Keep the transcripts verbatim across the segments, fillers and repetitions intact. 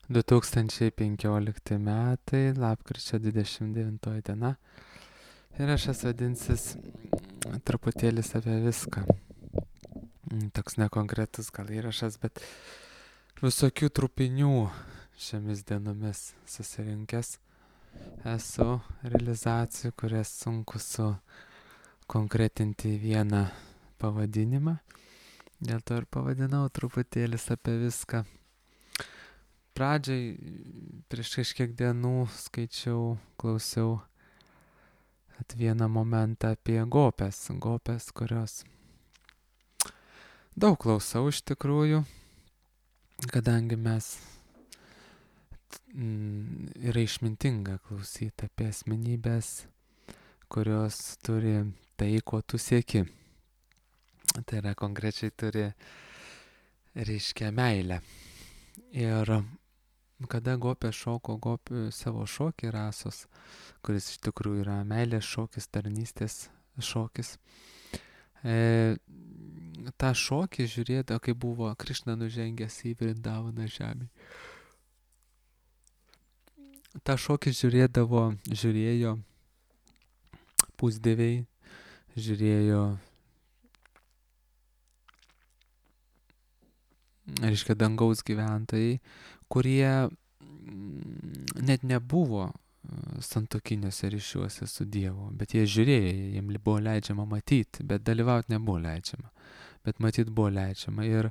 du tūkstančiai penkiolikti metai, lapkričio dvidešimt devintoji diena. Ir aš esu vadinsis mm, truputėlis apie viską. Mm, Toks nekonkretus gal įrašas, bet visokių trupinių šiomis dienomis susirinkęs esu realizacijų, kurias sunku su konkretinti į vieną pavadinimą. Dėl to ir pavadinau truputėlis apie viską. Pradžiai, prieš kažkiek dienų skaičiau, klausiau at vieną momentą apie gopes. Gopes, kurios daug klausau iš tikrųjų, kadangi mes mm, yra išmintinga klausyti apie asmenybės, kurios turi tai, ko tu sieki. Tai yra konkrečiai turi, reiškia, meilę. Ir kada gopė šoko gopė savo šokį rasos, kuris iš tikrųjų yra meilės šokis, tarnystės šokis, e, tą šokį žiūrėdavo, kai buvo Krišna nužengęs į Vrindavaną žemį. tą šokį žiūrėdavo, žiūrėjo pusdieviai, žiūrėjo, reiškia, dangaus gyventojai, kurie mm, net nebuvo e, santuokiniuose ryšiuose su Dievu, bet jie žiūrėjo, jiems buvo leidžiama matyti, bet dalyvauti nebuvo leidžiama, bet matyti buvo leidžiama. Ir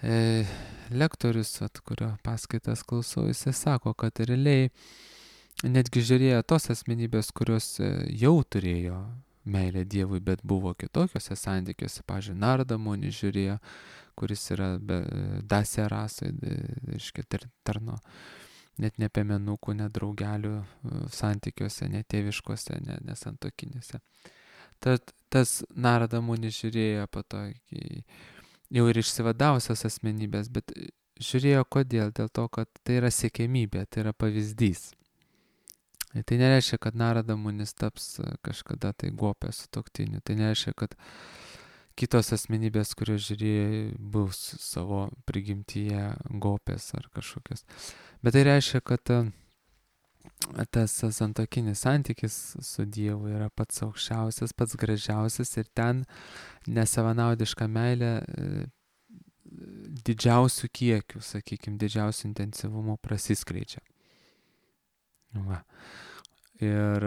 e, lektorius, at kurio paskaitas klausau, jisai sako, kad realiai netgi žiūrėjo tos asmenybės, kurios e, jau turėjo meilę Dievui, bet buvo kitokiuose santykiuose. Pavyzdžiui, Narada Muni žiūrėjo, kuris yra be, dasė rasai, reiškia, tar, tarno, net ne piemenukų, ne draugelių e, santykiuose, ne tėviškose, ne, ne santuokinėse. Tad tas Narada Muni žiūrėjo po to iki jau ir išsivadavusias asmenybės, bet žiūrėjo kodėl? Dėl to, kad tai yra siekiamybė, tai yra pavyzdys. Ir tai nereiškia, kad Narada Munis taps kažkada tai gopė sutuoktiniu. Tai nereiškia, kad kitos asmenybės, kurios žiūrėjo, bus savo prigimtyje gopės ar kažkokios. Bet tai reiškia, kad tas santuokinis santykis su Dievu yra pats aukščiausias, pats gražiausias ir ten nesavanaudiška meilė didžiausių kiekių, sakykime, didžiausių intensyvumų prasiskleidžia. Va. Ir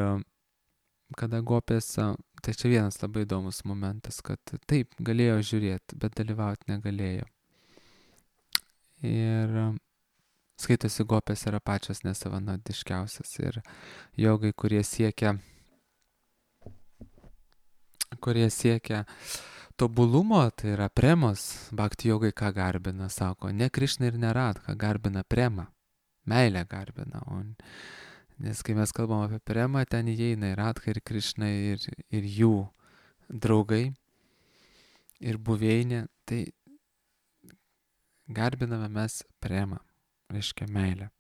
kada gopės, tai čia vienas labai įdomus momentas, kad taip, galėjo žiūrėti, bet dalyvauti negalėjo. Ir skaitosi, gopės yra pačios nesavanaudiškiausias. Ir jogai, kurie siekia, kurie siekia tobulumo, tai yra premos, bhakti jogai ką garbina, sako, ne Krišna ir ne Radha, garbina premą, meilę garbina. O nes kai mes kalbam apie premą, ten įeina ir Radha, ir Krišna, ir, ir jų draugai, ir buveinė, tai garbiname mes premą, reiškia meilę,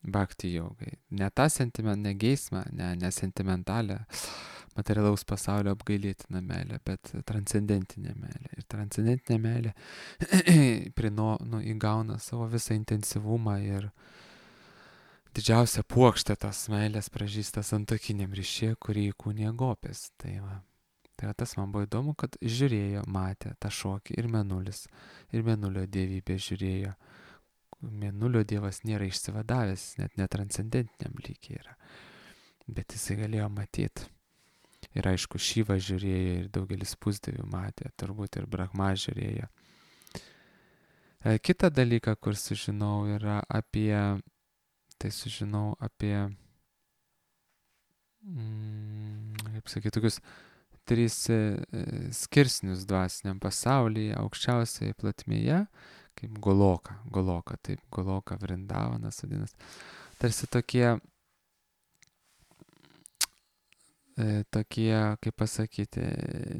bhakti jogai. Ne tą sentiment, ne geismą, ne, ne sentimentalę, materialaus pasaulio apgailėtiną meilę, bet transcendentinę meilę. Ir transcendentinė meilė prino, nu, įgauna savo visą intensyvumą ir didžiausia puokštė tos meilės pražįsta santuokiniam ryšyje, kurį įkūnija gopės. Tai va. Tai va, tas man buvo įdomu, kad žiūrėjo, matė tą šokį ir Mėnulis, ir Mėnulio dievybė žiūrėjo. Mėnulio dievas nėra išsivadavęs, net netranscendentiniam lygiai yra. Bet jisai galėjo matyti. Ir aišku, Šyva žiūrėjo ir daugelis pusdievių matė, turbūt ir Brahma žiūrėjo. Kita dalyką, kur sužinau, yra apie tai sužinau apie, mm, kaip sakyti, tokius tris e, skirsnius dvasiniam pasaulyje, aukščiausioje platmėje, kaip Goloka, Goloka, taip, Goloka Vrindavanas vadinas. Tarsi tokie, e, tokie, kaip pasakyti,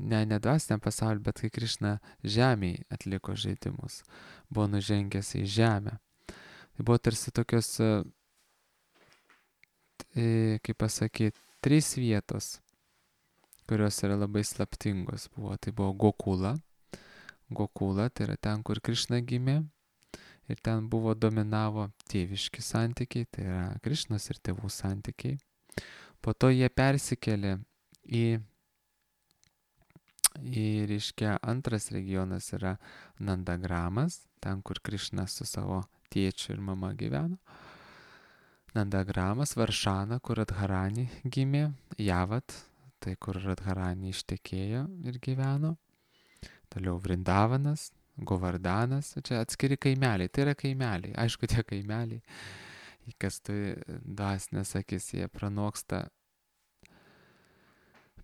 ne, ne dvasiniam pasauliu, bet kai Krišna žemėje atliko žaidimus, buvo nužengęs į žemę. Tai buvo tarsi tokios, kaip pasakyti, trys vietos, kurios yra labai slaptingos buvo. Tai buvo Gokula. Gokula, tai yra ten, kur Krišna gimė. ir ten buvo dominavo tėviški santykiai, tai yra Krišnos ir tėvų santykiai. Po to jie persikėlė į, į reiškia, antras regionas yra Nandagramas, ten kur Krišna su savo tėčiu ir mama gyveno. Nandagramas, Varšana, kur Radharani gimė, Javat, tai kur Radharani ištekėjo ir gyveno. Toliau Vrindavanas, Govardanas, čia atskiri kaimeliai, tai yra kaimeliai, aišku tie kaimeliai, kas turi dvasinės akis, jie pranoksta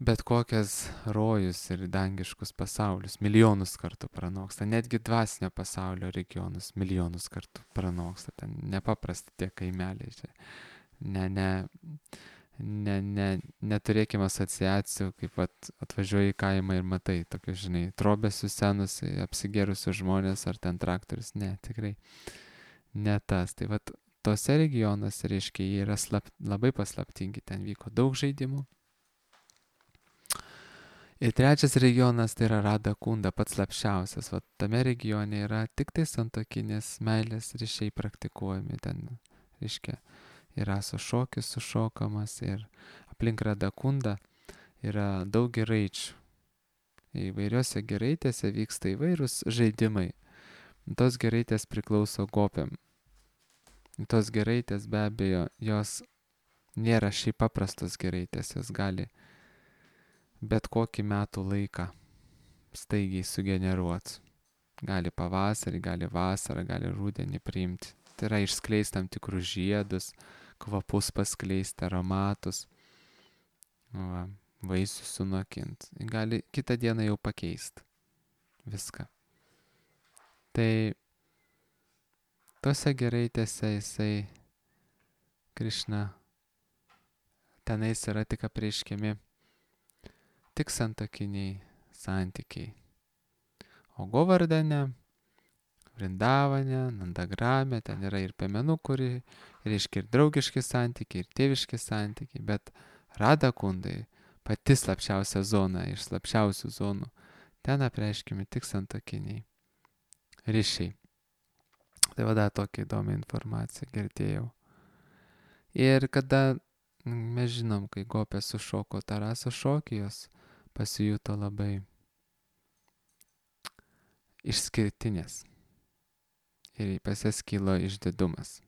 bet kokias rojus ir dangiškus pasaulius, milijonus kartų pranoksta, netgi dvasinio pasaulio regionus milijonus kartų pranoksta, ten nepaprasti tie kaimeliai, čia ne, ne, ne, ne, neturėkime asociacijų, kaip at, atvažiuoji į kaimą ir matai tokius, žinai, trobesius senus, apsigėrusius žmonės ar ten traktorius, ne, tikrai ne tas, tai vat tose regionuose, reiškia, jie yra slap, labai paslaptingi, ten vyko daug žaidimų. Ir trečias regionas tai yra Rada Kunda, pats slapčiausias. Vat tame regione yra tik tai santuokinės meilės ryšiai praktikuojami. Ten, reiškia, yra su šokis sušokamas ir aplink Rada Kundą yra daug giraičių. Įvairiose giraitėse vyksta įvairūs žaidimai. Tos giraitės priklauso gopiam. Tos giraitės be abejo, jos nėra šiaip paprastos giraitės, jos gali bet kokį metų laiką staigiai sugeneruoti. Gali pavasarį, gali vasarą, gali rudenį priimti. Tai yra išskleisti tam tikrus žiedus, kvapus paskleisti, aromatus, va, vaisius sunokinti. Gali kitą dieną jau pakeisti viską. Tai tose giraitėse jisai, Krišna, tenais yra tik apreiškiami tik santuokiniai santykiai. O Govardane, Vrindavane, Nandagrame, ten yra ir piemenų, kuri reiškia ir draugiški santykiai, ir tėviški santykiai, bet Rada Kundai, pati slapčiausia zona iš slapčiausių zonų, ten apreiškiami tik santuokiniai ryšiai. Tai vada tokia įdomi informacija, girdėjau. Ir kada mes žinom, kai gopė sušoko Taraso šokį, jos pasijuto labai išskirtinės. Ir pas jas kilo išdidumas.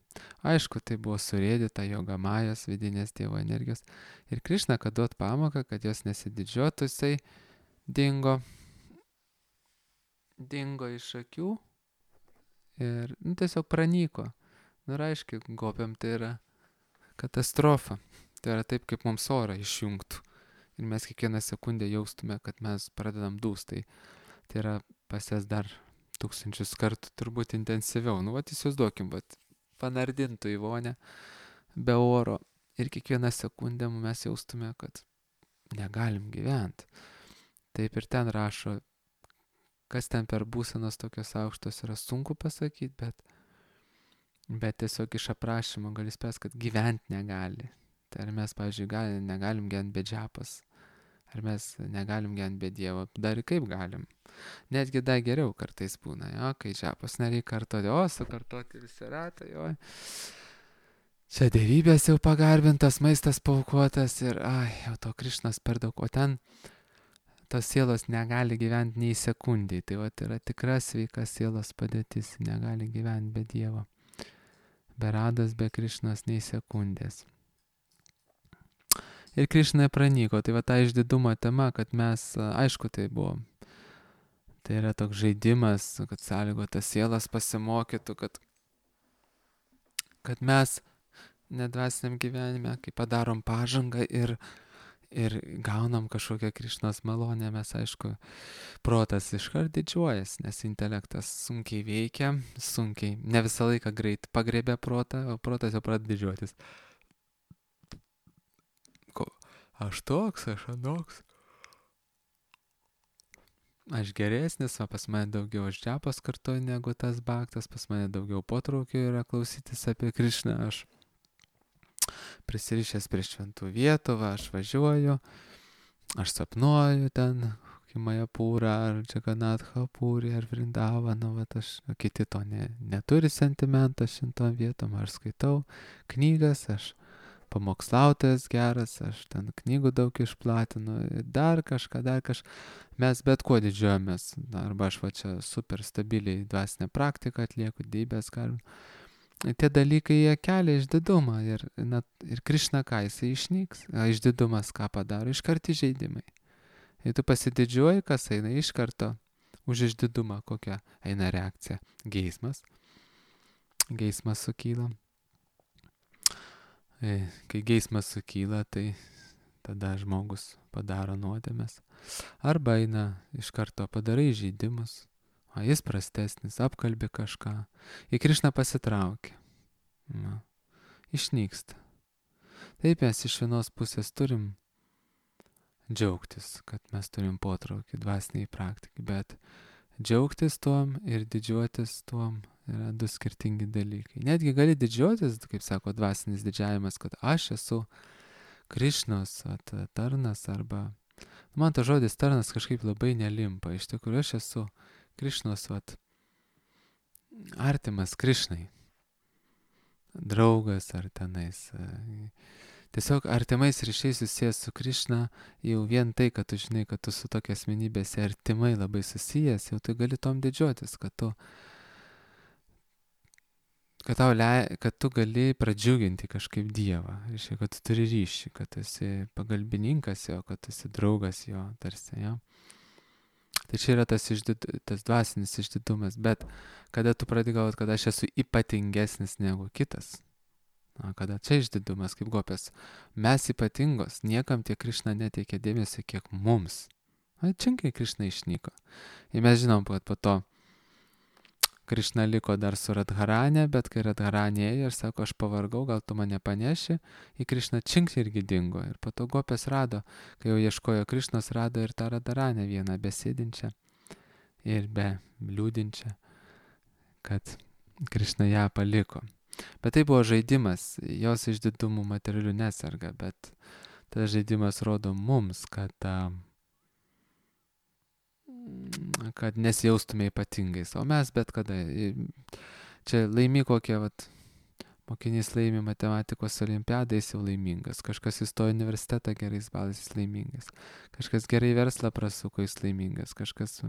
Aišku, tai buvo surėdyta Jogamajos vidinės Dievo energijos. Ir Krišna, kad duot pamoką, kad jos nesididžiuotų, jisai dingo, dingo iš akių ir nu, tiesiog pranyko. Nu, ir aišku, gopiam tai yra katastrofa. Tai yra taip, kaip mums orą išjungtų. Ir mes kiekvieną sekundę jaustume, kad mes pradedam dūst. Tai, tai yra pas jas dar tūkstančius kartų turbūt intensyviau. Nu, vat įsivaizduokim, vat panardintų į vonę be oro. Ir kiekvieną sekundę mes jaustume, kad negalim gyventi. Taip ir ten rašo, kas ten per būsenos tokios aukštos yra sunku pasakyti, bet, bet tiesiog iš aprašymo gali spės, kad gyventi negali. Tai ar mes, pavyzdžiui, gali, negalim gyventi be džiapas, ar mes negalim gyventi be Dievo, dar kaip galim. Netgi dar geriau kartais būna, jo, kai džiapas nereikia kartoti, o sukartoti visi ratai, jo. Čia dievybės jau pagarbintas, maistas paukotas ir, ai, jau to Krišnos per daug, o ten tos sielos negali gyventi nei sekundį, tai va, yra tikra sveika sielos padėtis, negali gyventi be Dievo, be Rados, be Krišnos nei sekundės. Ir Krišna pranyko, tai va ta išdidumo tema, kad mes, aišku, tai buvo, tai yra toks žaidimas, kad sąlygotas sielas pasimokytų, kad, kad mes nedvasiniam gyvenime, kai padarom pažangą ir, ir gaunam kažkokią Krišnos malonę, mes, aišku, protas iškart didžiuojas, nes intelektas sunkiai veikia, sunkiai, ne visą laiką greit pagrebia protą, o protas jau pradeda didžiuotis. Aš toks, aš anoks. Aš geresnis, o pas mane daugiau aš džiapas kartu negu tas baktas, pas mane daugiau potraukio yra klausytis apie Krišną, aš prisirišęs prie šventų vietų, va, aš važiuoju, aš sapnuoju ten, kokį Majapūrą, ar Džaganatha Pūrį, ar Vrindavaną, vat aš, o kiti to ne, neturi sentimento šimtom vietom, aš skaitau knygas, aš pamokslautojas geras, aš ten knygų daug išplatinu, dar kažką, dar kažką. Mes bet kuo didžiuojamės, arba aš va čia super stabiliai dvasinę praktiką atlieku, dybės garbinu. Tie dalykai jie kelia išdidumą ir, na, ir Krišna ką jisai išnyks, o išdidumas ką padaro, iškart įžeidimai. Jei tu pasididžiuoji, kas eina iš karto už išdidumą, kokia eina reakcija. Geismas. Geismas sukyla. Kai geismas sukyla, tai tada žmogus padaro nuodėmes. Arba eina iš karto padarai žaidimus, o jis prastesnis, apkalbi kažką. Į Krišną pasitraukia. Na, išnyksta. Taip mes iš vienos pusės turim džiaugtis, kad mes turim potraukį dvasiniai praktikai, bet džiaugtis tuom ir didžiuotis tuom yra du skirtingi dalykai. Netgi gali didžiuotis, kaip sako dvasinis didžiavimas, kad aš esu Krišnos at, tarnas arba... Man ta žodis tarnas kažkaip labai nelimpa. Iš tikrųjų, aš esu Krišnos at, artimas Krišnai. Draugas ar tenais. Tiesiog artimais ryšiais susijęs su Krišna, jau vien tai, kad tu žinai, kad tu su tokia asmenybėse artimai labai susijęs, jau tu gali tom didžiuotis, kad tu kad, tau le, kad tu gali pradžiuginti kažkaip Dievą, reiškia, kad tu turi ryšį, kad tu esi pagalbininkas jo, kad tu esi draugas jo, tarsi, jo. Tai čia yra tas, išdid, tas dvasinis išdidumas, bet kada tu pradedi galvoti, kad aš esu ypatingesnis negu kitas, na, kada čia išdidumas, kaip Gopės, mes ypatingos, niekam tiek Krišna neteikia dėmesio, kiek mums. Na, činkai Krišna išnyko. Ir mes žinom, kad po to Krišna liko dar su Radharane, bet kai Radharane ėjo ir sako, aš pavargau, gal tu mane paneši, į Krišną čink irgi dingo. Ir po to Gopės rado, kai jau ieškojo Krišnos, rado ir tą Radharane vieną besėdinčią ir be liūdinčią, kad Krišna ją paliko. Bet tai buvo žaidimas, jos išdidumų materialių nesarga, bet tas žaidimas rodo mums, kad... Uh, kad nesijaustume ypatingais, o mes bet kada, čia laimi kokie, vat, mokinys laimi matematikos olimpiadą, jis jau laimingas, kažkas įstojo į universitetą gerais balais, jis laimingas, kažkas gerai verslą prasuko, jis laimingas, kažkas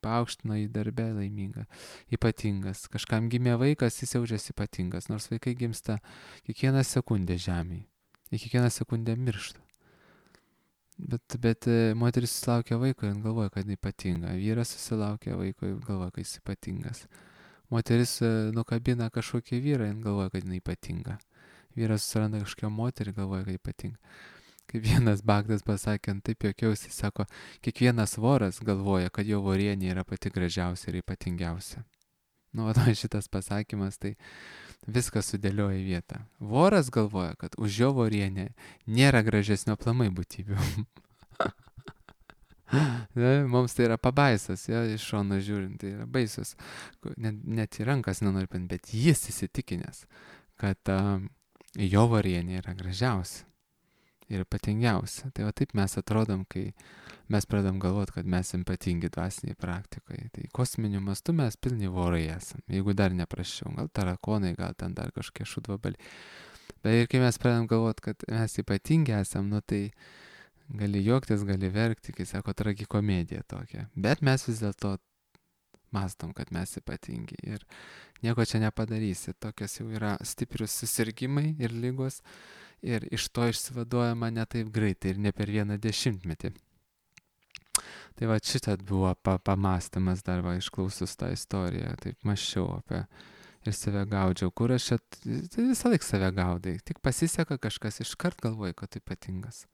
paaukštino į darbę laiminga, ypatingas, kažkam gimė vaikas, jis jaučiasi ypatingas, nors vaikai gimsta kiekvieną sekundę žemėje, į kiekvieną sekundę miršta. Bet, bet moteris susilaukia vaiko ir galvoja, kad jis ypatinga. Vyras susilaukia vaiko ir galvoja, kad jis ypatingas. Moteris nukabina kažkokį vyrą ir galvoja, kad jis ypatinga. Vyras susiranda kažkokią moterį ir galvoja, kad ypatinga. Kaip vienas Bagdas pasakė, taip juokiausi, sako, kiekvienas voras galvoja, kad jo vorienė yra pati gražiausia ir ypatingiausia. Nu, o šitas pasakymas, tai viskas sudėlioja į vietą. Voras galvoja, kad už jo vorienę nėra gražesnio aplamai būtybių. Mums tai yra pabaisas, ja, iš šono žiūrint, tai yra baisus. Net, net į rankas nenori pint, bet jis įsitikinęs, kad uh, jo vorienė yra gražiausia ir ypatingiausia. Tai va taip mes atrodom, kai mes pradam galvoti, kad mes ypatingi dvasiniai praktikoje. Tai kosminiu mastu mes pilni vorai esam, jeigu dar neprašiau, gal tarakonai, gal ten dar kažkokie šudvabaliai. Bet ir kai mes pradam galvoti, kad mes ypatingi esam, nu tai gali juoktis, gali verkti, kai sako tragikomedija tokia. Bet mes vis dėlto mastom, kad mes ypatingi ir nieko čia nepadarysi. Tokios jau yra stiprius susirgimai ir lygos ir iš to išsivaduojama ne taip greitai ir ne per vieną dešimtmetį. Tai va šitą buvo pa, pamastymas dar va išklausus tą istoriją, taip mąsčiau apie ir save gaudžiau, kur aš čia, tai visą laiką save gaudai, tik pasiseka kažkas, iškart galvoji, kad tu ypatingas,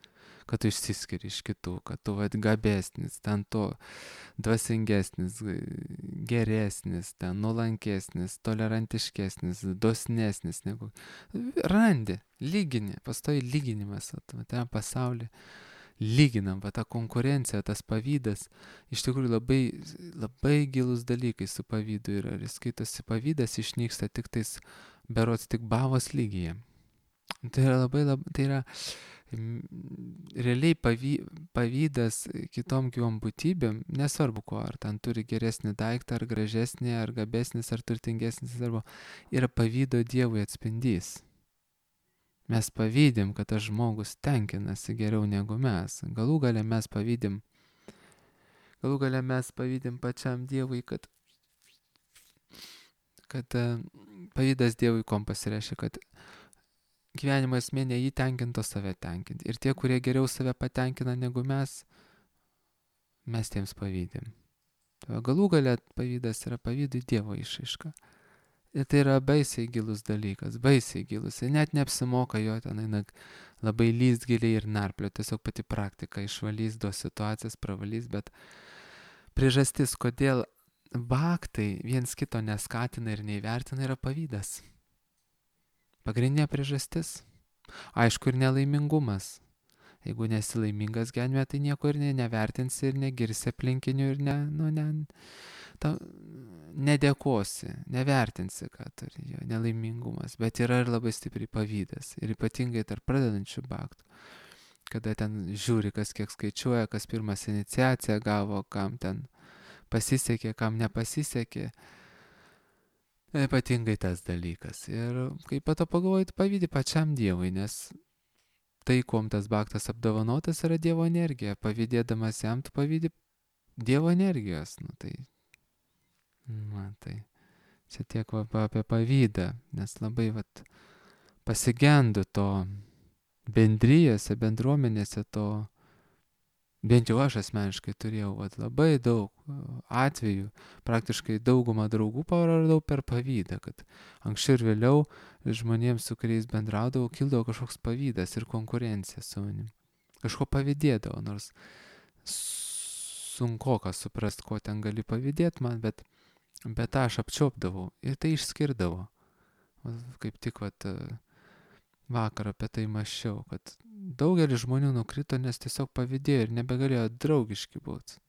kad tu išsiskiri iš kitų, kad tu va gabesnis, ten to dvasingesnis, geresnis, ten nuolankesnis, tolerantiškesnis, dosnesnis negu, randi, lygini, pastoji lyginimas, ten pasaulį. Lyginam, va ta konkurencija, tas pavydas, iš tikrųjų labai, labai gilus dalykai su pavydu yra. Ir skaitosi pavydas išnyksta tik tais, berods tik bhavos lygyje. Tai yra labai, labai, tai yra Realiai pavy, pavydas kitom gyvom būtybėm, nesvarbu ko, ar ten turi geresnį daiktą, ar gražesnį, ar gabesnis, ar turtingesnis, arba yra pavydo Dievui atspindys. Mes pavydim, kad tas žmogus tenkinasi geriau negu mes. Galų gale mes pavydim, galų gale mes pavydim pačiam Dievui, kad, kad pavydas Dievui kom pasireiškia, kad gyvenimo esmė ne jį tenkinto save tenkinti. Ir tie, kurie geriau save patenkina negu mes, mes tiems pavydim. Galų gale pavydas yra pavydui Dievo išraiška. Ir tai yra baisiai gilus dalykas, baisiai gilus. Ir net neapsimoka jo ten labai lyst giliai ir narplio. Tiesiog pati praktika išvalys dos situacijas, pravalys, bet priežastis, kodėl baktai viens kito neskatina ir neįvertina, yra pavydas. Pagrindinė priežastis. Aišku, ir nelaimingumas. Jeigu nesi laimingas gyvenime, tai nieko ir ne, nevertinsi ir negirsi aplinkinių ir ne, nu, ne, ta, nedėkosi, nevertinsi, ką turi jo nelaimingumas. Bet yra ir labai stipriai pavydas. Ir ypatingai tarp pradedančių baktų. Kada ten žiūri, kas kiek skaičiuoja, kas pirmas iniciaciją gavo, kam ten pasisekė, kam nepasisekė. Ypatingai tas dalykas. Ir kaip pato pagalvojai, pavydi pačiam Dievui, nes tai, kuom tas baktas apdovanotas, yra Dievo energija. Pavydėdamas jam, tu pavydi Dievo energijos. Nu, tai, na, tai čia tiek va, apie pavydą, nes labai vat, pasigendu to bendrijose, bendruomenėse to. Bent jau aš asmeniškai turėjau vat, labai daug atvejų, praktiškai daugumą draugų praradau per pavydą, kad anksčiau ir vėliau žmonėms, su kuriais bendraudavau, kildavo kažkoks pavydas ir konkurencija su manim. Kažko pavydėdavo, nors sunkoka suprast, ko ten gali pavydėti man, bet, bet aš apčiopdavau ir tai išskirdavo. Kaip tik vat, vakar apie tai mąsčiau, kad daugelis žmonių nukrito, nes tiesiog pavydėjo ir nebegalėjo draugiški būti.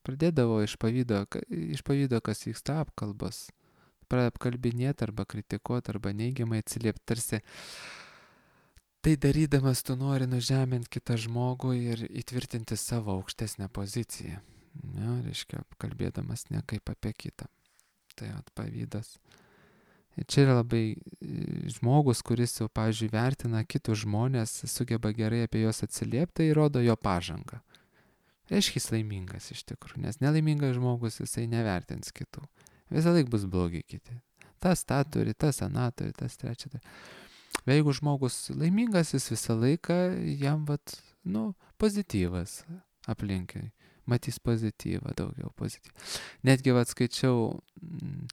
Pradėdavo iš pavydo, iš pavydo kas vyksta apkalbos. Pradėjo apkalbinėti arba kritikuoti arba neigiamai atsiliepti. Tarsi tai darydamas tu nori nužeminti kitą žmogų ir įtvirtinti savo aukštesnę poziciją. Ja, reiškia, kalbėdamas ne kaip apie kitą. Tai at pavydas. Ir čia yra labai žmogus, kuris jau, pavyzdžiui, vertina kitus žmonės, sugeba gerai apie juos atsiliepti, tai rodo jo pažangą. Reiškia, jis laimingas iš tikrųjų, nes nelaimingas žmogus jisai nevertins kitų. Visą laiką bus blogi kiti. Tas tą turi, tas aną turi, tas trečią turi. Bet jeigu žmogus laimingas, jis visą laiką jam, vat, nu, pozityvas aplinkai. Matys pozityvą, daugiau pozityvą. Netgi, vat, skaičiau mm,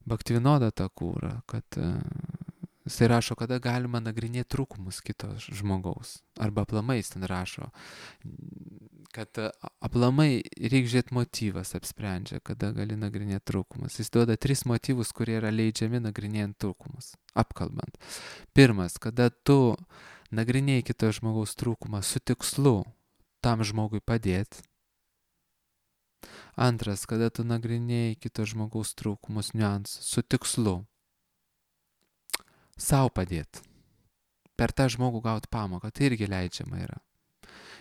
Bhaktivinoda Thakurą, kad uh, jisai rašo, kada galima nagrinėti trūkumus kito žmogaus. Arba aplamai jis ten rašo, kad uh, aplamai reikia žiūrėti motyvas apsprendžia, kada gali nagrinėti trūkumus. Jis duoda tris motyvus, kurie yra leidžiami nagrinėjant trūkumus, apkalbant. Pirmas, kada tu nagrinėjai kito žmogaus trūkumą su tikslu tam žmogui padėti. Antras, kada tu nagrinėjai kito žmogaus trūkumus, niuansus su tikslu sau padėti. Per tą žmogų gauti pamoką, tai irgi leidžiama yra.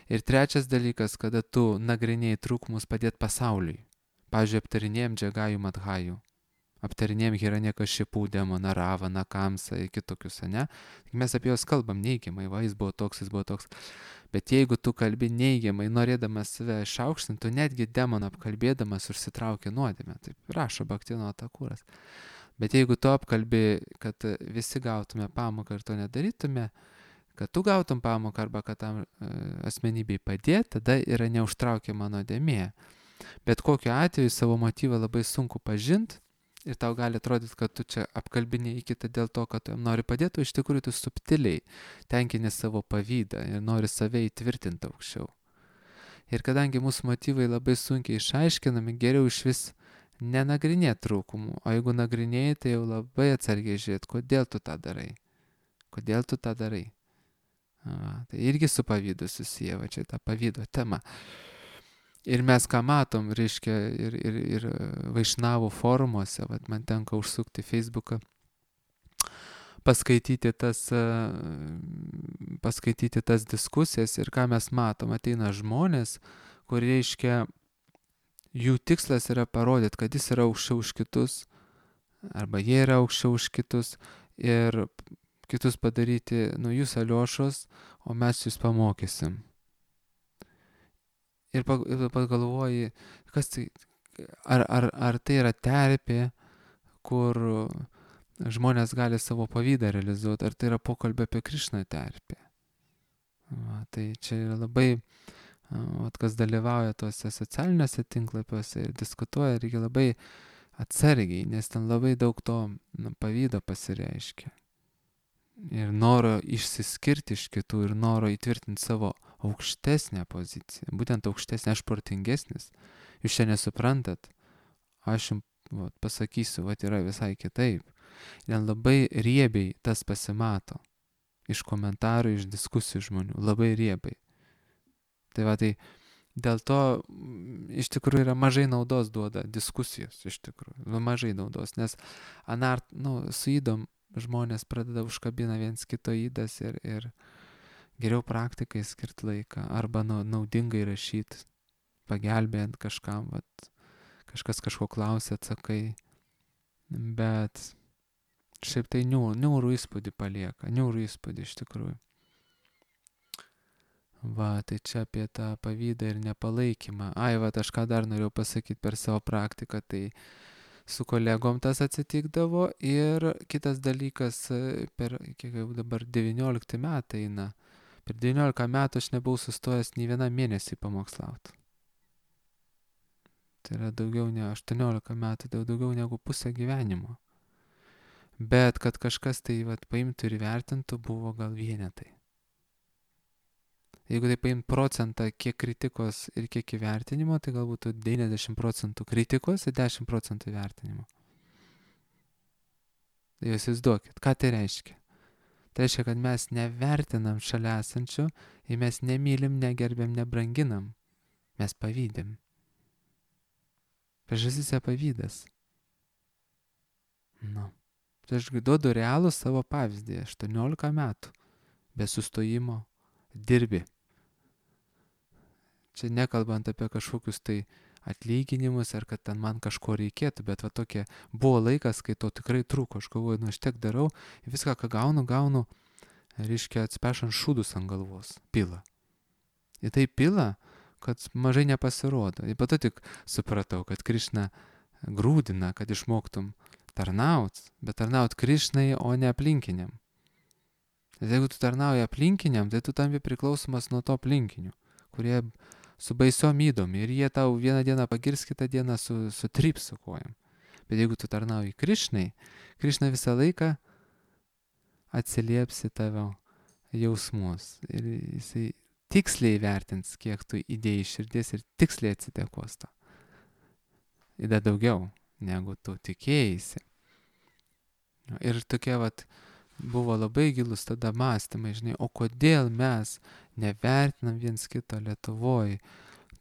Ir trečias dalykas, kada tu nagrinėjai trūkumus padėti pasauliui. Pavyzdžiui, aptarinėjom Džagajų Madhajų, aptarinėjom Hiranyakšipų demoną, Ravaną, Kamsą ir kitokius, ne? Mes apie juos kalbam neigiamai, va, jis buvo toks, jis buvo toks. Bet jeigu tu kalbi neigiamai, norėdamas save išaukštinti, tu netgi demoną apkalbėdamas užsitraukia nuodėmę. Taip rašo Bhaktivinoda Thakuras. Bet jeigu tu apkalbi, kad visi gautume pamoką ir to nedarytume, kad tu gautum pamoką arba kad tam e, asmenybei padėti, tada yra neužtraukiama nuodėmė. Bet kokiu atveju savo motyvą labai sunku pažinti ir tau gali atrodyti, kad tu čia apkalbinėjai kitą dėl to, kad tu jam nori padėti, o iš tikrųjų tu subtiliai tenkini savo pavydą ir nori save įtvirtinti aukščiau. Ir kadangi mūsų motyvai labai sunkiai išaiškinami, geriau iš vis nenagrinėti trūkumų, o jeigu nagrinėjai, tai jau labai atsargiai žiūrėti, kodėl tu tą darai. Kodėl tu tą darai. A, tai irgi su pavydu susiję, va čia ta pavydo tema. Ir mes ką matom, reiškia, ir, ir, ir Vaišnavų forumuose, vat man tenka užsukti Facebooką, paskaityti tas, paskaityti tas diskusijas ir ką mes matom, ateina žmonės, kur reiškia, jų tikslas yra parodyti, kad jis yra aukščiau už kitus, arba jie yra aukščiau už kitus ir kitus padaryti, nu jūs Aliošos, o mes jūs pamokysim. Ir pagalvoji, kas tai, ar, ar, ar tai yra terpė, kur žmonės gali savo pavydą realizuoti, ar tai yra pokalbė apie Krišną terpė. Va, tai čia yra labai, vat, kas dalyvauja tuose socialiniuose tinklapiuose ir diskutuoja, reikia labai atsargiai, nes ten labai daug to nu, pavydo pasireiškia. Ir noro išsiskirti iš kitų ir noro įtvirtinti savo aukštesnę poziciją. Būtent aukštesnė, aš protingesnis. Jūs čia nesuprantat. Aš jums vat, pasakysiu, vat yra visai kitaip. Ir labai riebiai tas pasimato. Iš komentarų, iš diskusijų žmonių. Labai riebiai. Tai va, tai dėl to iš tikrųjų yra mažai naudos duoda diskusijos. Iš tikrųjų. Mažai naudos. Nes anart, nu, su įdom žmonės pradeda užkabina viens kito įdas ir, ir geriau praktikai skirti laiką arba nu, naudingai rašyti, pagelbėjant kažkam, vat, kažkas kažko klausia, atsakai, bet šiaip tai niūrų, niūrų įspūdį palieka, niūrų įspūdį iš tikrųjų. Va, tai čia apie tą pavydą ir nepalaikymą. Ai, va, aš ką dar norėjau pasakyti per savo praktiką, tai su kolegom tas atsitikdavo ir kitas dalykas, per, kiek jau dabar devyniolikti metai eina, per devyniolika metų aš nebuvau sustojęs nei vieną mėnesį pamokslauti. Tai yra daugiau ne aštuoniolika metų, daugiau negu pusę gyvenimo. Bet kad kažkas tai vat, paimtų ir vertintų, buvo gal vienetai. Jeigu tai paimtų procentą, kiek kritikos ir kiek įvertinimo, tai galbūt devyniasdešimt procentų kritikos ir dešimt procentų įvertinimo. Tai jūs įsivaizduokit, ką tai reiškia? Tai reiškia, kad mes nevertinam šalia esančių ir mes nemylim, negerbėm, nebranginam. Mes pavydim. Priežastis yra pavydas. Nu. Tai aš duodu realų savo pavyzdį. aštuoniolika metų. Be sustojimo dirbi. Čia nekalbant apie kažkokius tai atlyginimus ar kad ten man kažko reikėtų, bet va tokie buvo laikas, kai to tikrai trūko. Aš galvoju, nu aš tiek darau, viską, ką gaunu, gaunu, reiškia atspešant šūdus ant galvos, pila. Ir tai pila, kad mažai nepasirodo. Ir pato tik supratau, kad Krišna grūdina, kad išmoktum tarnaut, bet tarnaut Krišnai, o ne aplinkiniam. Ir jeigu tu tarnauji aplinkiniam, tai tu tampi priklausomas nuo to aplinkinių, kurie su baisiom įdom ir jie tau vieną dieną pagirs, kitą dieną su, sutryps su kojom. Bet jeigu tu tarnauji Krišnai, Krišna visą laiką atsilieps į tavo jausmus ir jisai tiksliai vertins, kiek tu įdėjai širdies ir tiksliai atsidėkos to. Įda daugiau, negu tu tikėjaisi. Ir tokie vat buvo labai gilus tada mąstymai, žinai, o kodėl mes nevertinam viens kito Lietuvoj,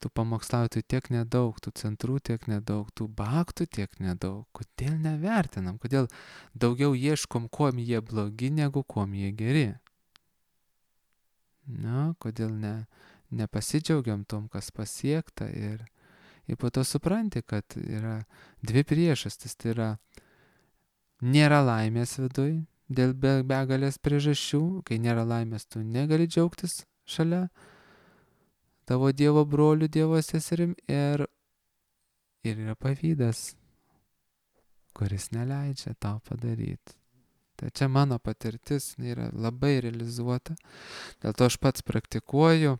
tų pamokslautojų tiek nedaug, tų centrų tiek nedaug, tų baktų tiek nedaug, kodėl nevertinam, kodėl daugiau ieškom, kuom jie blogi, negu kuom jie geri. Na, kodėl ne, nepasidžiaugiam tom, kas pasiekta ir, ir po to supranti, kad yra dvi priežastis, tai yra nėra laimės viduj, dėl be, begalės priežasčių, kai nėra laimės, tu negali džiaugtis šalia tavo Dievo brolių, Dievo seserim ir, ir yra pavydas, kuris neleidžia tau padaryti. Tai čia mano patirtis yra labai realizuota, dėl to aš pats praktikuoju,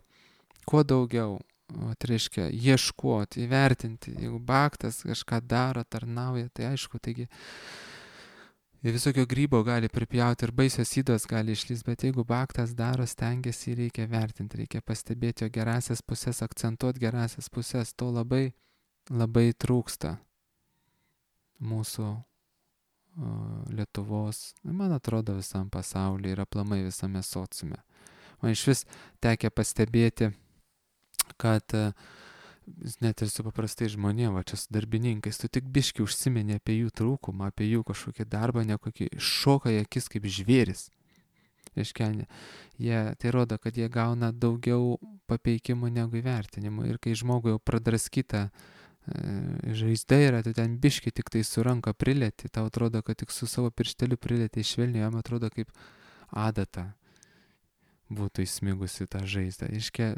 kuo daugiau, o, tai reiškia ieškoti, įvertinti, jeigu baktas kažką daro, tarnauja, tai aišku, taigi ir visokio grybo gali pripjauti ir baisios ydos gali išlįsti, bet jeigu baktas daro, stengiasi, reikia vertinti, reikia pastebėti jo gerasias pusės, akcentuoti gerasias pusės, to labai, labai trūksta mūsų o, Lietuvos, man atrodo visam pasaulyje ir aplamai visame sociume. Man iš vis tekia pastebėti, kad net ir su paprastai žmonėm, va čia su darbininkais, tu tik biški užsimeni apie jų trūkumą, apie jų kažkokį darbą, nekokį šoka į akis kaip žvėris. Reiškia, jie, tai rodo, kad jie gauna daugiau papeikimų negu įvertinimų. Ir kai žmogui jau pradraskyta e, žaizda yra, tu ten biški tik tai su ranka prilėti, tau atrodo, kad tik su savo piršteliu prilėti švelniai, jam atrodo kaip adata būtų įsmigusi tą žaizdą. Reiškia,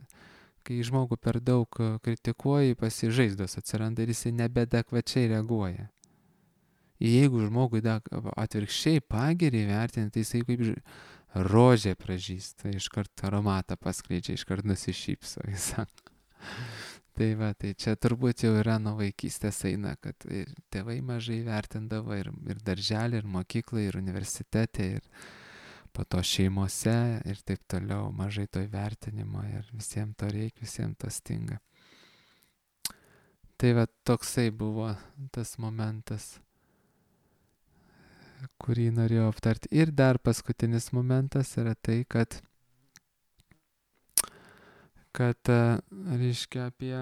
kai žmogų per daug kritikuoji, pasižaizdos atsiranda ir jisai nebedekvačiai reaguoja. Jeigu žmogui atvirkščiai pagirį vertinti, tai jisai kaip rožė pražįsta, iškart aromatą paskleidžia, iškart nusišypso, jis sako. Tai va, tai čia turbūt jau yra nuo vaikystės eina, kad ir tėvai mažai vertindavo, ir, ir darželį, ir mokyklą, ir universitete, ir po to šeimose, ir taip toliau, mažai to įvertinimo, ir visiems to reikia, visiems to stinga. Tai va, toksai buvo tas momentas, kurį norėjau aptarti. Ir dar paskutinis momentas yra tai, kad, kad reiškia apie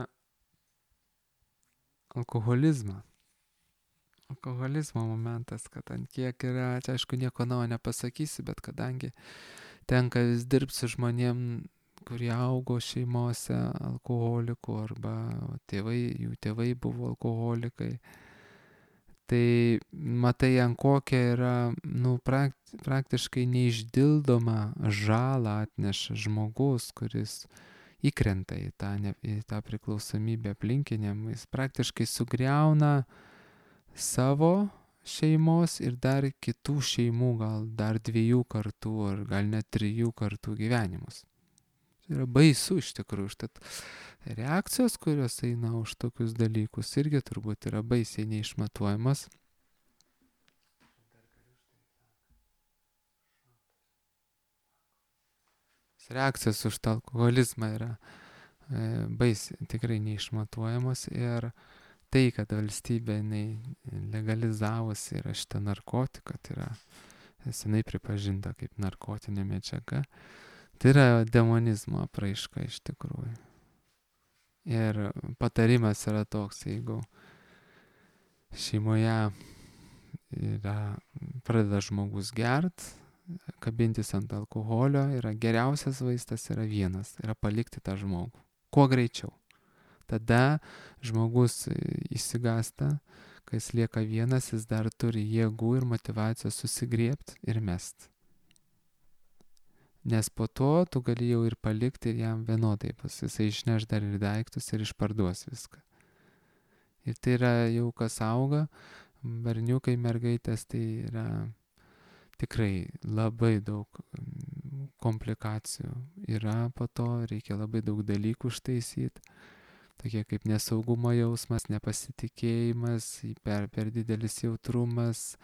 alkoholizmą. Alkoholizmo momentas, kad ant kiek yra, čia aišku nieko naujo nepasakysi, bet kadangi tenka vis dirbti su žmonėm, kurie augo šeimose alkoholikų arba tėvai, jų tėvai buvo alkoholikai, tai matai, ant kokia yra, nu, praktiškai neišdildoma žalą atneša žmogus, kuris įkrenta į tą, ne, į tą priklausomybę aplinkiniam. Jis praktiškai sugriauna savo šeimos ir dar kitų šeimų, gal dar dviejų kartų ar gal net trijų kartų gyvenimus. Tai yra baisu iš tikrųjų. Štat reakcijos, kurios eina už tokius dalykus, irgi turbūt yra baisiai neišmatuojamas. Reakcijos už tą alkoholizmą yra e, baisiai, tikrai neišmatuojamos. Ir tai, kad valstybė legalizavosi yra šitą narkotiką, tai yra senai pripažinta kaip narkotinė medžiaga, tai yra demonizmo apraiška iš tikrųjų. Ir patarimas yra toks, jeigu šeimoje yra, pradeda žmogus gert, kabintis ant alkoholio, yra geriausias vaistas yra vienas, yra palikti tą žmogų. Kuo greičiau. Tada žmogus įsigasta, kai jis lieka vienas, jis dar turi jėgų ir motyvacijos susigriebti ir mest. Nes po to tu gali jau ir palikti ir jam vienodai, pas jisai išneš dar ir daiktus ir išparduos viską. Ir tai yra jau kas auga, berniukai, mergaitės, tai yra tikrai labai daug komplikacijų yra po to, reikia labai daug dalykų ištaisyti. Tokie kaip nesaugumo jausmas, nepasitikėjimas, per, per didelis jautrumas,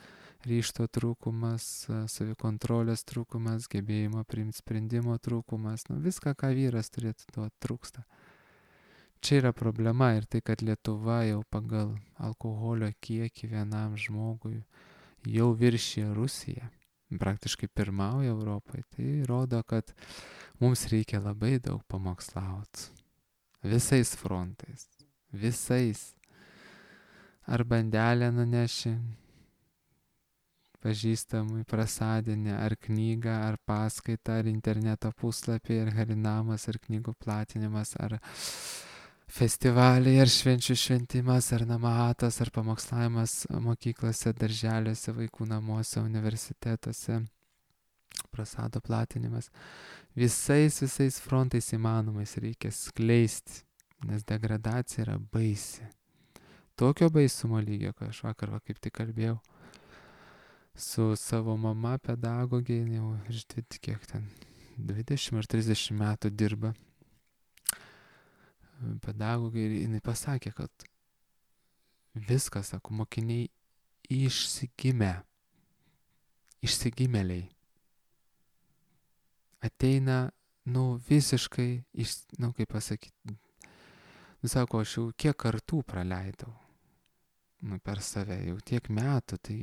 ryžto trūkumas, savikontrolės trūkumas, gebėjimo priimti sprendimo trūkumas, nu, viską, ką vyras turėtų duoti, trūksta. Čia yra problema ir tai, kad Lietuva jau pagal alkoholio kiekį vienam žmogui jau viršė Rusiją, praktiškai pirmauja Europoje, tai rodo, kad mums reikia labai daug pamokslauti. Visais frontais, visais. Ar bandelę nuneši pažįstamui prasadinę, ar knygą, ar paskaitą, ar interneto puslapį, ar harinamas, ar knygų platinimas, ar festivaliai, ar švenčių šventimas, ar namatas, ar pamokslavimas mokyklose, darželiuose, vaikų namuose, universitetuose, prasado platinimas. Visais, visais frontais įmanomais reikia skleisti, nes degradacija yra baisi. Tokio baisumo lygio, kai aš vakar va, kaip tik kalbėjau su savo mama pedagogė, jau iš kiek ten, dvidešimt ar trisdešimt metų dirba pedagogė, ir jinai pasakė, kad viskas, sako, mokiniai išsigimę, išsigimėliai. Ateina, nu, visiškai, iš, nu, kaip pasakyti, nu, sako, aš jau kiek kartų praleidau, nu, per save, jau tiek metų, tai,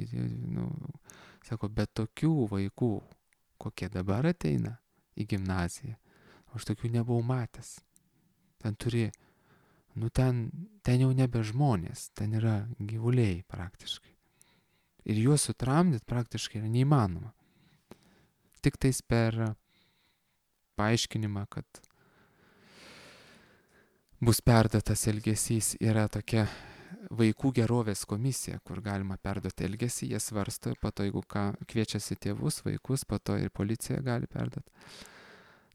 nu, sako, bet tokių vaikų, kokie dabar ateina į gimnaziją, aš tokių nebuvau matęs. Ten turi nu ten, ten jau nebe žmonės, ten yra gyvuliai praktiškai. Ir juos sutramdyti praktiškai yra neįmanoma. Tik tais per paaiškinimą, kad bus perduotas elgesys, yra tokia vaikų gerovės komisija, kur galima perduoti elgesį, jie svarsto, po to jeigu ką, kviečiasi tėvus, vaikus, po to ir policija gali perduoti.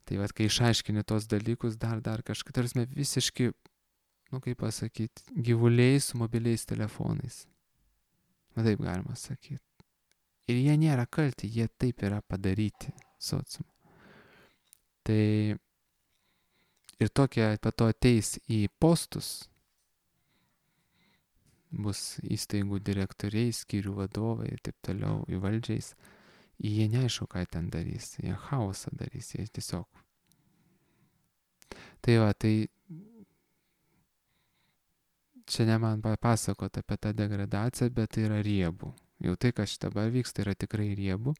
Tai vat, kai išaiškini tos dalykus, dar, dar kažkaip, tarsi visiški, nu kaip pasakyti, gyvuliai su mobiliais telefonais. Na taip galima sakyti. Ir jie nėra kalti, jie taip yra padaryti sociumu. Tai ir tokie po to ateis į postus, bus įstaigų direktoriai, skyrių vadovai ir taip toliau, į valdžiais. Jie neaišku, ką ten darys, jie chaosą darys, jie tiesiog. Tai va, tai čia ne man papasakot apie tą degradaciją, bet tai yra riebu. Jau tai, kas dabar vyksta, yra tikrai riebu.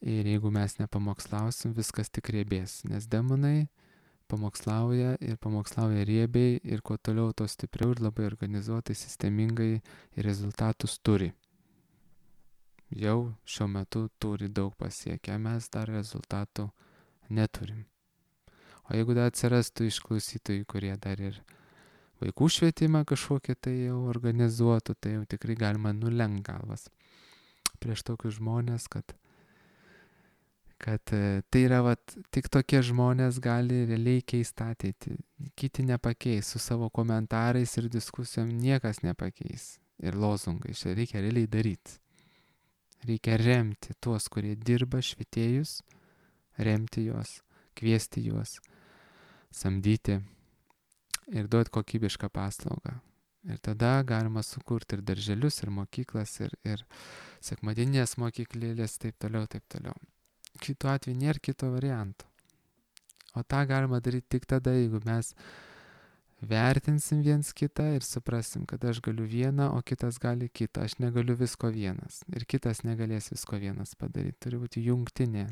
Ir jeigu mes nepamokslausim, viskas tik riebės, nes demonai pamokslauja ir pamokslauja riebiai ir kuo toliau, to stipriau ir labai organizuotai, sistemingai ir rezultatus turi. Jau šiuo metu turi daug pasiekę, mes dar rezultatų neturim. O jeigu dar atsirastų išklausytojų, kurie dar ir vaikų švietimą kažkokį tai jau organizuotų, tai jau tikrai galima nulenkt galvas prieš tokius žmonės, kad kad tai yra vat, tik tokie žmonės gali realiai keisti ateitį. Kiti nepakeis, su savo komentarais ir diskusijom niekas nepakeis. Ir lozungai, čia reikia realiai daryti. Reikia remti tuos, kurie dirba, švietėjus, remti juos, kviesti juos, samdyti ir duoti kokybišką paslaugą. Ir tada galima sukurti ir darželius, ir mokyklas, ir, ir sekmadieninės mokyklėlės, taip toliau, taip toliau. Kitu atveju nėra kito varianto. O tą galima daryti tik tada, jeigu mes vertinsim viens kitą ir suprasim, kad aš galiu vieną, o kitas gali kitą. Aš negaliu visko vienas. Ir kitas negalės visko vienas padaryti. Turi būti jungtinė,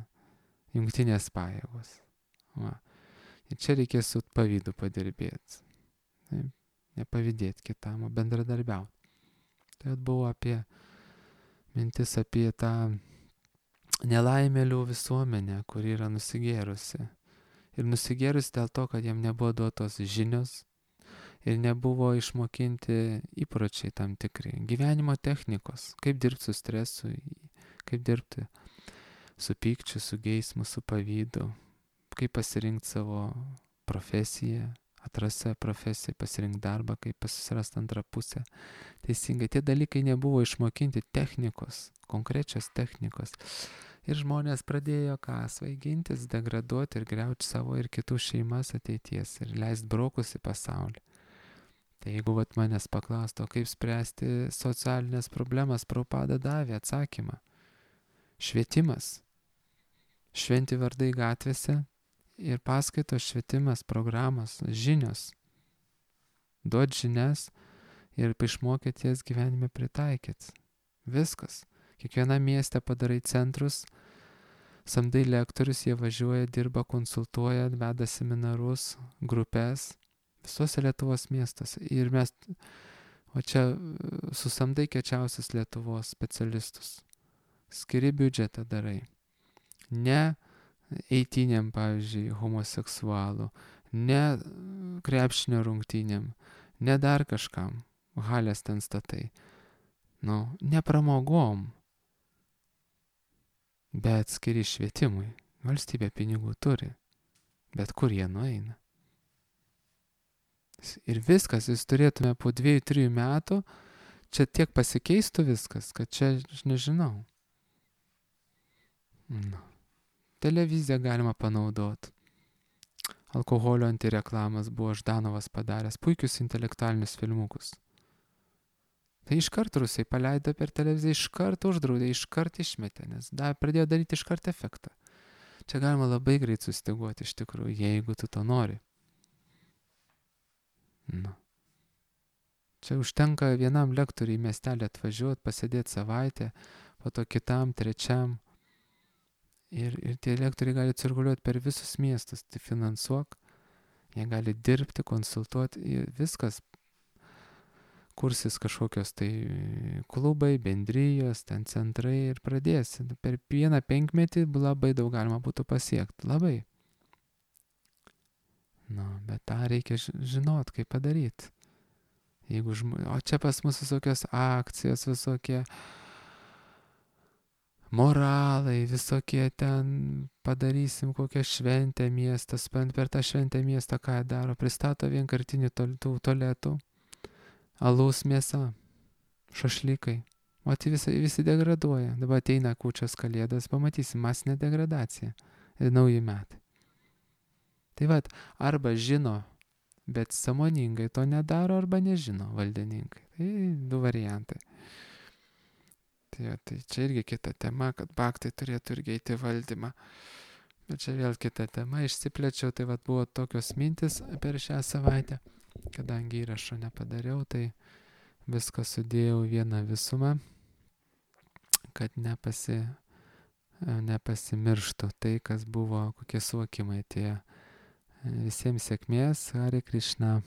jungtinės pajėgos. Va. Ir čia reikės su pavydu padirbėti. Taip. Nepavydėti kitam, o bendradarbiauti. Tai buvo apie mintis apie tą nelaimėlių visuomenę, kuri yra nusigėrusi. Ir nusigėrusi dėl to, kad jiem nebuvo duotos žinios ir nebuvo išmokinti įpročiai tam tikri. Gyvenimo technikos, kaip dirbti su stresu, kaip dirbti su pykčiu, su geismu, su pavydu, kaip pasirinkti savo profesiją, atrasti savo profesiją, pasirinkti darbą, kaip susirasti antrą pusę. Teisingai, tie dalykai nebuvo išmokinti technikos, konkrečios technikos. Ir žmonės pradėjo ką, svaigintis, degraduoti ir griauti savo ir kitų šeimas ateities ir leisti brokus į pasaulį. Tai jeigu vat manęs paklausto, kaip spręsti socialinės problemas, Prabhupada davė atsakymą. Švietimas. Šventi vardai gatvėse ir paskaitos, švietimas, programos, žinios. Duot žinias ir išmokyti jas gyvenime pritaikyti. Viskas. Kiekvieną miestę padarai centrus, samdai lektorius, jie važiuoja, dirba, konsultuoja, veda seminarus, grupės, visose Lietuvos miestuose. Ir mes, o čia susamdai kečiausius Lietuvos specialistus. Skiri biudžetą darai. Ne eitynėm, pavyzdžiui, homoseksualų, ne krepšinio rungtynėm, ne dar kažkam, halės ten statai. Nu, ne pramogom. Bet skiri švietimui. Valstybė pinigų turi. Bet kur jie nueina? Ir viskas, jūs turėtume po dviejų, trijų metų, čia tiek pasikeistų viskas, kad čia, aš nežinau. Nu. Televiziją galima panaudoti. Alkoholio antireklamas buvo Ždanovas padaręs, puikius intelektualinius filmukus. Tai iškart rusai paleido per televiziją, iškart uždraudė, iškart išmetė, nes da, pradėjo daryti iškart efektą. Čia galima labai greit sustiguoti iš tikrųjų, jeigu tu to nori. Nu. Čia užtenka vienam lektoriui į miestelį atvažiuoti, pasėdėti savaitę, po to kitam, trečiam. Ir, ir tie lektoriai gali cirkuliuoti per visus miestus, tai finansuok. Jie gali dirbti, konsultuoti, viskas. Kursis kažkokios tai klubai, bendrijos, ten centrai ir pradės. Per vieną penkmetį labai daug galima būtų pasiekti. Labai. Nu, bet tą reikia žinot, kaip padaryti. Jeigu žm... O čia pas mus visokios akcijos, visokie moralai, visokie ten padarysim kokią šventę miestas, per tą šventę miestą ką jie daro, pristato vienkartinių tų tualetų, alaus mėsa, šašlykai. O tai visi, visi degraduoja. Dabar ateina kūčios kalėdas, pamatysim masinę degradaciją ir nauji metai. Tai vat, arba žino, bet sąmoningai to nedaro, arba nežino valdininkai. Tai du variantai. Tai, tai čia irgi kita tema, kad baktai turėtų irgi eiti valdymą. Bet čia vėl kita tema, išsiplečiau, tai vat buvo tokios mintis per šią savaitę. Kadangi įrašo nepadariau, tai viską sudėjau vieną visumą, kad nepasi, nepasimirštų tai, kas buvo, kokie suvokimai tie. Visiems sėkmės, Hare Krishna.